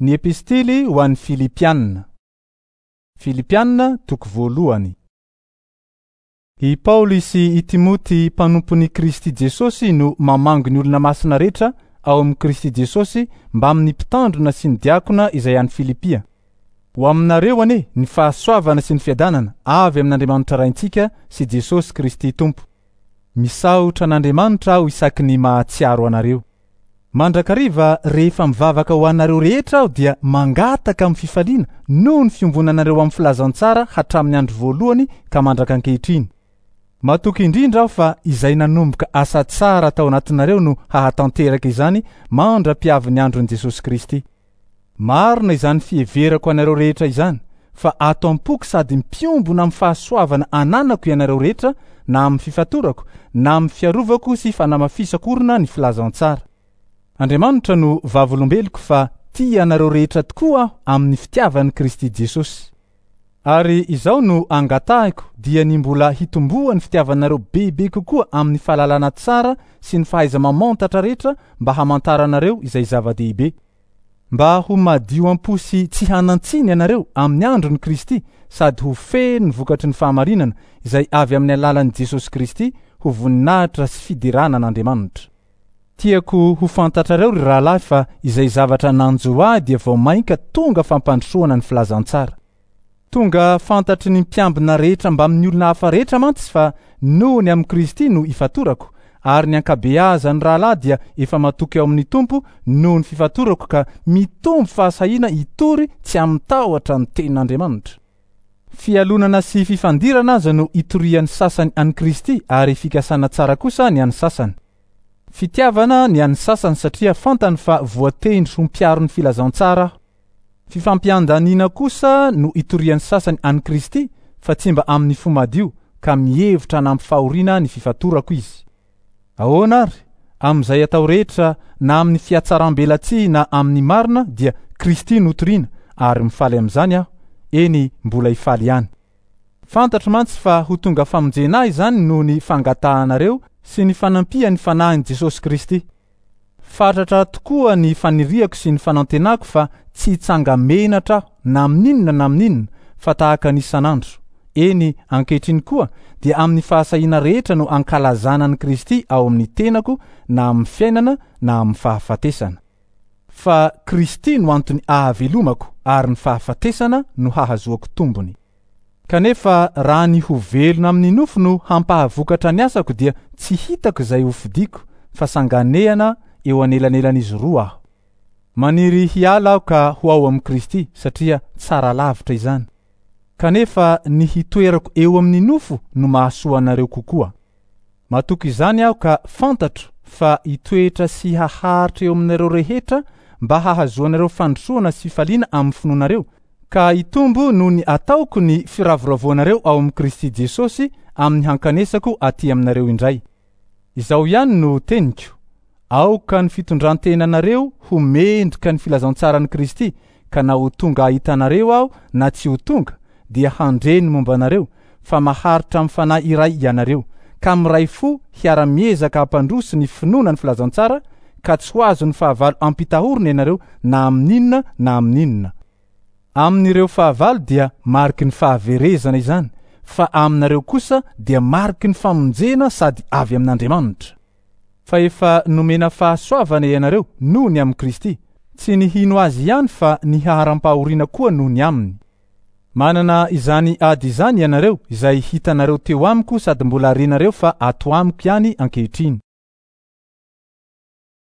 Ny Epistily ho an'ny Filipiana. Filipiana toko voalohany. I Paoly sy i Timoty mpanompon'i Kristy Jesosy no mamangy ny olona masina rehetra ao amin'i Kristy Jesosy mbamin'ny mpitandrina sy ny diakona izay any Filipia. Ho aminareo anie ny fahasoavana sy ny fiadanana avy amin'Andriamanitra Raintsika sy Jesosy Kristy Tompo. Misaotra an'Andriamanitra aho isaky ny mahatsiaro anareo. Mandrakariva rehefa mivavaka ho anareo rehetra aho dia mangataka amin'ny fifaliana noho ny fiombonanareo amin'ny filazantsara hatramin'ny andro voalohany ka mandraka ankehitriny. Matoky indrindra aho fa izay nanomboka asa tsara tao anatinareo no hahatanteraka izany mandra-piavin'ny andron'i Jesosy Kristy. Marina izany fiheverako anareo rehetra izany, fa ato am-poko sady mpiombona amin'ny fahasoavana ananako ianareo rehetra na amin'ny fifatorako, na amin'ny fiarovako sy fanamafisako orina ny filazantsara. Andriamanitra no vavolombeloko fa tia anareo rehetra tokoa aho amin'ny fitiavan'i Kristy Jesosy. Ary izao no angatahiko dia ny mbola hitomboan'ny fitiavanareo bebe kokoa amin'ny fahalalana tsara sy ny fahaiza-mamantatra rehetra mba hamantaranareo izay zava-dehibe. Mba ho madio am-po sy tsy hanan-tsiny ianareo amin'ny andron'i Kristy sady ho feno ny vokatry ny fahamarinana izay avy amin'ny alalan'i Jesosy Kristy ho voninahitra sy fiderana an'Andriamanitra. Tiako ho fantatrareo ry rahalahy fa izay zavatra nanjo ahy dia vao mainka tonga fampandrosoana ny filazantsara. Tonga fantatry ny mpiambina rehetra mbamin'ny olona hafa rehetra mantsy fa noho ny amin'i Kristy no ifatorako, ary ny ankabeazan'ny rahalahy dia efa matoky ao amin'ny Tompo noho ny fifatorako ka mitombo fahasahiana hitory tsy amin-tahotra ny tenin'Andriamanitra. Fialonana sy fifandirana aza no itorian'ny sasany an'i Kristy ary fikasana tsara kosa ny an'ny sasany. Fitiavana ny an'ny sasany satria fantany fa voatendry ho mpiaro ny filazantsara aho. Fifampiandaniana kosa no itorian'ny sasany an'i Kristy fa tsy mba amin'ny fo madio ka mihevitra hanampy fahoriana ny fifatorako izy. Ahoana ary? Amin'izay atao rehetra na amin'ny fihatsaram-belatsihy na amin'ny marina dia Kristy no toriana ary mifaly amin'izany aho, eny mbola hifaly ihany. Fantatro mantsy fa ho tonga famonjena ahy izany noho ny fangatahanareo sy ny fanampian'ny Fanahin'i Jesosy Kristy. Fatratra tokoa ny faniriako sy ny fanantenako fa tsy hitsanga-menatra aho na amin'inona na amin'inona fa tahaka ny isan'andro, eny ankehitriny koa dia amin'ny fahasahiana rehetra no ankalazana an'i Kristy ao amin'ny tenako na amin'ny fiainana na amin'ny fahafatesana. Fa Kristy no antony ahavelomako ary ny fahafatesana no hahazoako tombony. Kanefa raha ny ho velona amin'ny nofo no hampahavokatra ny asako dia tsy hitako izay hofidiko fa sanganehana eo anelanelan'izy roa aho. Maniry hiala aho ka ho ao amin'i Kristy satria tsara lavitra izany. Kanefa ny hitoerako eo amin'ny nofo no mahasoa anareo kokoa. Matoky izany aho ka fantatro fa hitoetra sy haharitra eo aminareo rehetra mba hahazoanareo fandrosoana sy fifaliana amin'ny finoanareo, ka hitombo noho ny ataoko ny firavoravoanareo ao amin'i Kristy Jesosy amin'ny hankanesako aty aminareo indray. Izao ihany no teniko, Aoka ny fitondran-tenanareo ho mendrika ny filazantsaran'i Kristy, ka na ho tonga hahita anareo aho na tsy ho tonga, dia handre ny momba anareo, fa maharitra amin'ny fanahy iray ianareo, ka miray fo hiara-miezaka hampandroso ny finoana ny filazantsara, ka tsy ho azon'ny fahavalo ampitahorina ianareo na amin'inona na amin'inona. Amin'ireo fahavalo dia mariky ny fahaverezana izany, fa aminareo kosa dia mariky ny famonjena sady avy amin'Andriamanitra. Fa efa nomena fahasoavana ianareo noho ny amin'i Kristy, tsy ny hino Azy ihany fa ny haharam-pahoriana koa noho ny aminy. Manana izany ady izany ianareo izay hitanareo teo amiko sady mbola renareo fa ato amiko ihany ankehitriny.